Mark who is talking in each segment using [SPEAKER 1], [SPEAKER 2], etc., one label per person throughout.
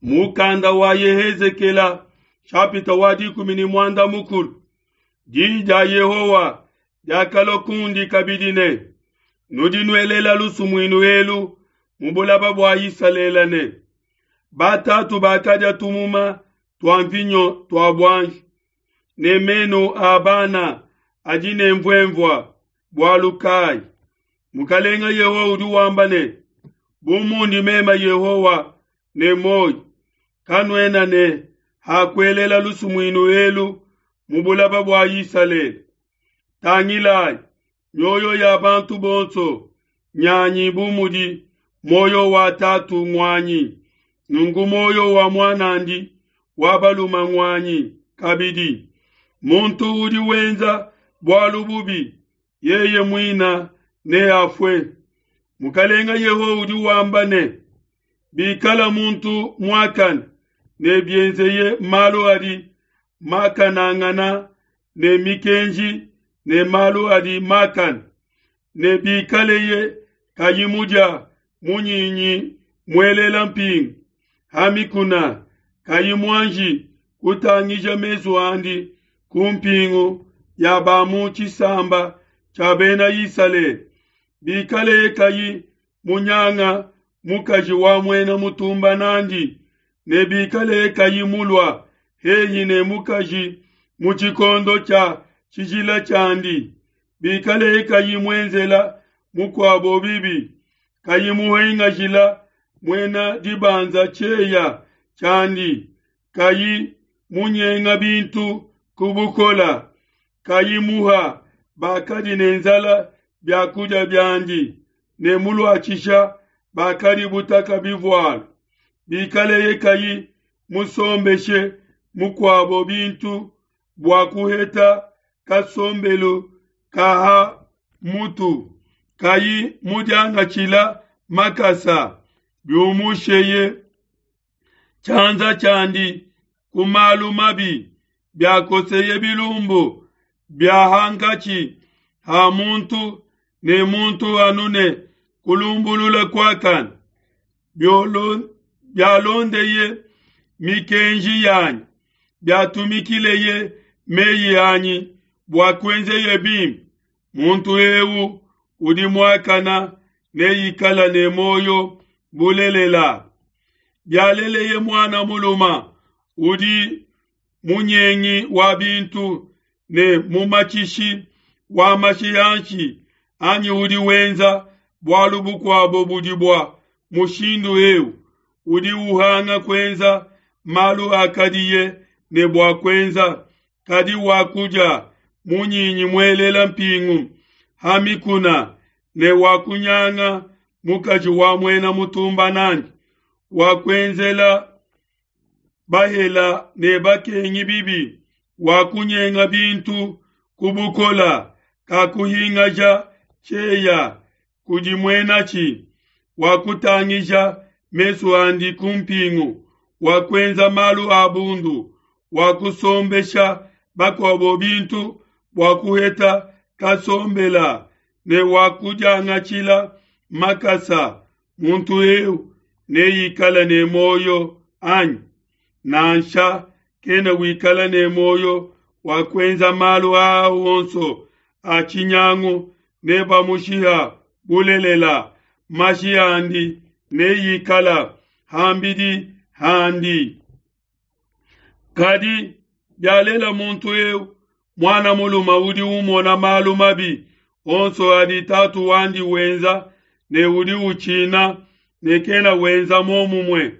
[SPEAKER 1] Mukanda wa Yehezekela nshapita wa 16. Diyi dia Yehowa diakalua kundi kabidi ne, Nudi nuelela lusumuinu elu mu bulaba bua Isalele ne, Batatu bakadia tumuma tua mvinyo tua buanji, ne menu a bana adi ne mvuemvua bualu kayi? Mukalenga Yehowa udi wamba ne, Bu mundi meme Yehowa ne muoyo, kanuena ne ha kuelela lusumuinu elu mu bulaba bua Isalele. Tangilai, mioyo ya bantu bonso nyanyi bu mudi muoyo wa tatu nguanyi, nunku muoyo wa muan'andi wa balume nguanyi kabidi. Muntu udi wenza bualu bubi, yeye muina neafue. Mukalenga Yehowa udi wamba ne, Bikala muntu muakane ne bienzeye malu adi makanangana ne mikenji ne malu adi makane, ne bikaleye kayi mudia munyinyi muelela mpingu ha mikuna, kayi muanji kutangija mesu andi ku mpingu ya ba mu tshisamba tshia Bena Isalele, bikaleye kayi munyanga mukaji wa muena mutumba nandi, ne bikaleye kayi mulua hehi ne mukaji mu tshikondo tshia tshijila tshiandi, bikaleye kayi muenzela mukuabo bibi, kayi muhingajila muena dibanza tshieya tshiandi, kayi munyenga bintu ku bukola, kayi muha bakadi ne nzala bia kudia biandi, ne muluatshisha bakadi butaka bivualu, bikaleye kayi musombeshe mukuabo bintu bua kuheta kasombelu ka ha mutu, kayi mudiangatshila makasa, biumusheye tshianza tshiandi ku malu mabi, biakoseye bilumbu bia hankatshi ha muntu ne muntu anu ne kulumbulula kuakane, bialondeye mikenji yanyi, biatumikileye meyi anyi bua kuenzeye bimpe, muntu eu udi muakana neikala ne muoyo bulelela. Bialeleye muana muluma udi munyengi wa bintu ne mumatshishi wa mashi anshi, anyi udi wenza bualu bukuabo budi bua mushindu eu, udi uhanga kuenza malu akadiye ne bua kuenza, kadi wakudia munyinyi muelela mpingu ha mikuna ne wakunyanga mukaji wa muena mutumba nandi, wakuenzela bahela ne bakengi bibi, wakunyenga bintu ku bukola, kakuhingaja tshieya kudi muenatshi, wakutangija mesu andi ku mpingu, wakuenza malu a bundu, wakusombesha bakuabo bintu bua kuheta kasombela, ne wakudiangatshila makasa, muntu eu neikale ne muoyo anyi? Nansha, kena wikala ne muoyo wa kuenza malu aa onso a tshinyangu, nebamushiha bulelela, mashi andi neikala ham'bidi handi. Kadi bialela muntu eu muana mulume udi umona malu mabi onso adi tatu wandi wenza ne udi utshina ne kena wenza muomumue,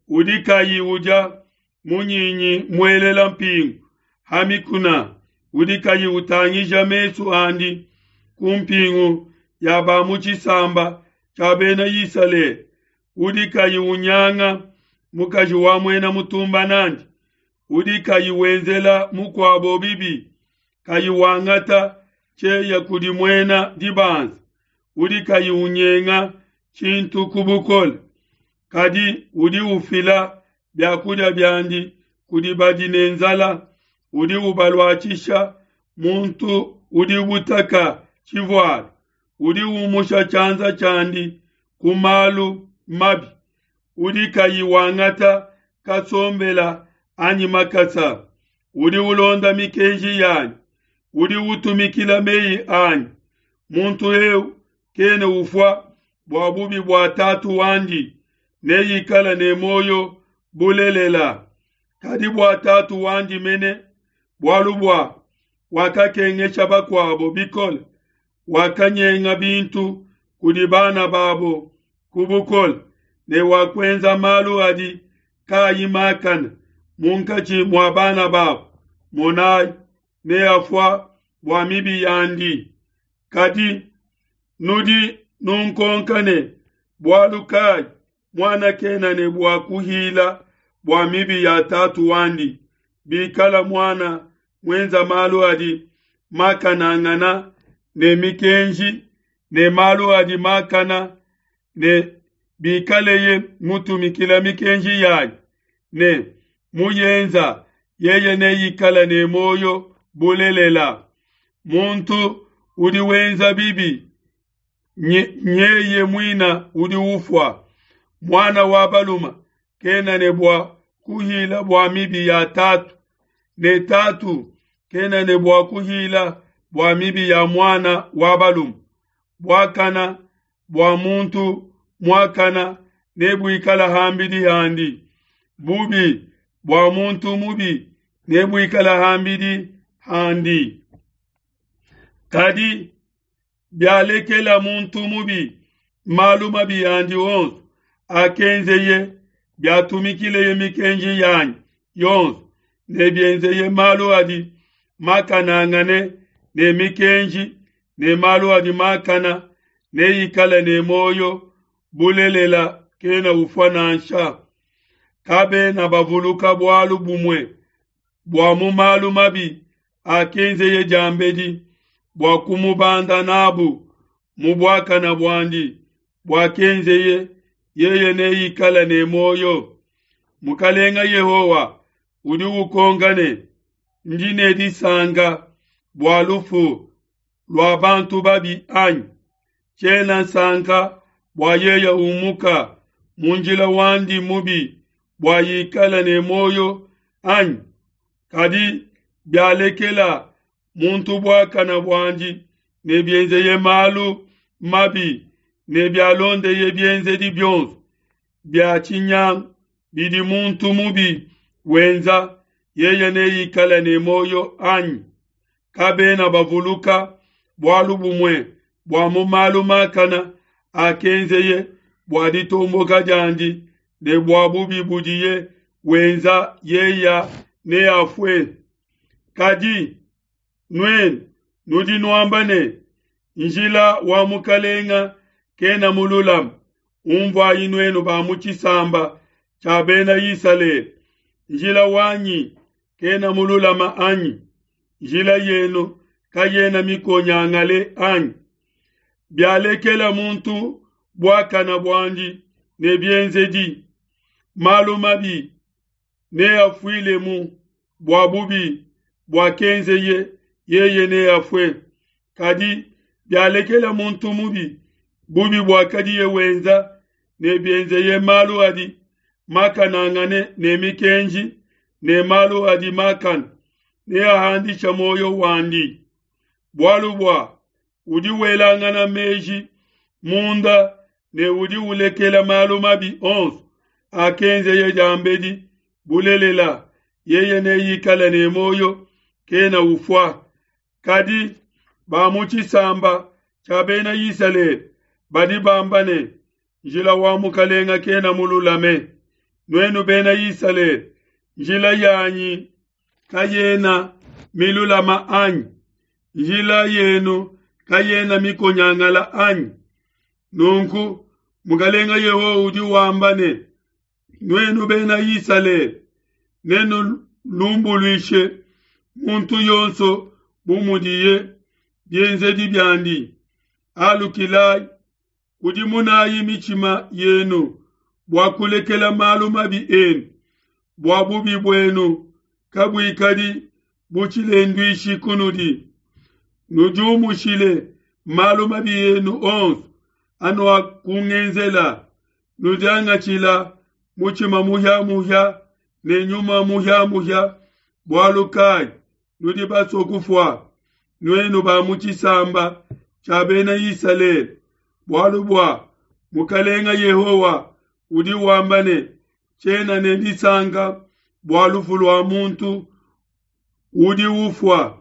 [SPEAKER 1] udi kayi udia munyinyi muelela mpingu ha mikuna, udi kayi utangija mesu andi ku mpingu ya ba mu tshisamba tshia Bena Isalele, udi kayi unyanga mukaji wa muena mutumba nandi, udi kayi wenzela mukuabo bibi, kayi wangata tshieya kudi muena dibanza, udi kayi unyenga tshintu ku bukole, kadi udi ufila biakudia biandi kudi badi ne nzala, udi ubaluatshisha muntu udi butaka tshivualu, udi umusha tshianza tshiandi ku malu mabi, udi kayi wangata kasombela anyi makasa, udi ulonda mikenji yanyi, udi utumikila meyi anyi, muntu eu kena ufua bua bubi bua tatu wandi, neikale ne muoyo bulelela. Kadi bua tatu wandi mene, bualu bua wakakengesha bakuabo bikole, wakanyenga bintu kudi bana babo ku bukole, ne wakuenza malu adi kaayi makane munkatshi mua bana babo, monai, neafua bua mibi yandi. Kadi nudi nunkonka ne, Bualu kai muana kena ne bua kuhila bua mibi ya tatu wandi? Bikala muana muenza malu adi makanangana ne mikenji ne malu adi makana, ne bikaleye mutumikila mikenji yanyi ne muyenza, yeye neikale ne muoyo bulelela. Muntu udi wenza bibi nyeye muina udi ufua. Muana wa balume kena ne bua kuhila bua mibi ya tatu, ne tatu kena ne bua kuhila bua mibi ya muana wa balume. Buakana bua muntu muakana nebuikala ham'bidi handi, bubi bua muntu mubi nebuikala ham'bidi handi. Kadi bialekela muntu mubi malu mabi andi onso akenzeye, biatumikileye mikenji yanyi yonso, ne bienzeye malu adi makanangane ne mikenji ne malu adi makana, neikale ne muoyo bulelela, kena ufua nansha. Kabena bavuluka bualu bumue bua mu malu mabi akenzeye diambedi, bua kumubanda n'abu mu buakana buandi buakenzeye, yeye neikale ne muoyo. Mukalenga Yehowa udi ukonka ne, Ndi ne disanka bua lufu lua bantu babi anyi? Tshiena nsanka bua yeye umuka mu njila wandi mubi bua ikale ne muoyo anyi? Kadi bialekela muntu buakana buandi ne bienzeye malu mabi ne bialondeye bienzedi bionso bia tshinyangu bidi muntu mubi wenza, yeye neikale ne muoyo anyi? Kabena bavuluka bualu bumue bua mu malu makana akenzeye bua ditomboka diandi ne bua bubi budiye wenza, yeye neafue. Kadi nuenu nudi nuamba ne, Njila wa Mukalenga kena mululame. Unvuayi nuenu ba mu tshisamba tshia Bena Isalele, njila wanyi kena mululama anyi? Njila yenu kayena mikonyangale anyi? Bialekela muntu buakana buandi ne bienzedi malu mabi, neafuilemu bua bubi buakenzeye, yeye neafue. Kadi bialekela muntu mubi bubi buakadiye wenza, ne bienzeye malu adi makanangane ne mikenji ne malu adi makane, neahandishe muoyo wandi. Bualu bua udi welangana meji munda ne udi ulekela malu mabi onso akenzeye diambedi, bulelela, yeye neikale ne muoyo, kena ufua. Kadi ba mu tshisamba tshia Bena Isalele badi bamba ne, Njila wa Mukalenga kena mululame. Nuenu Bena Isalele, njila yanyi kayena milulama anyi? Njila yenu kayena mikonyangala anyi? Nunku Mukalenga Yehowa udi wamba ne, Nuenu Bena Isalele, nenulumbuluishe muntu yonso bu mudiye bienzedi biandi. Alukilai, kudimunayi mitshima yenu bua kulekela malu mabi enu, bua bubi buenu kabuikadi bu tshilenduishi kunudi. Nudiumushile malu mabi enu onso anuakungenzela, nudiangatshila mutshima muhia-muhia. ne nyuma muhia-muhia, bualu kai nudi basue kufua, nuenu ba mu tshisamba tshia Bena Isalele? Bualu bua Mukalenga Yehowa udi wamba ne, Tshiena ne disanka bua lufu lua muntu udi ufua,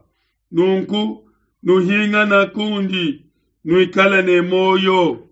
[SPEAKER 1] nunku nuhingana kundi, nuikale ne muoyo.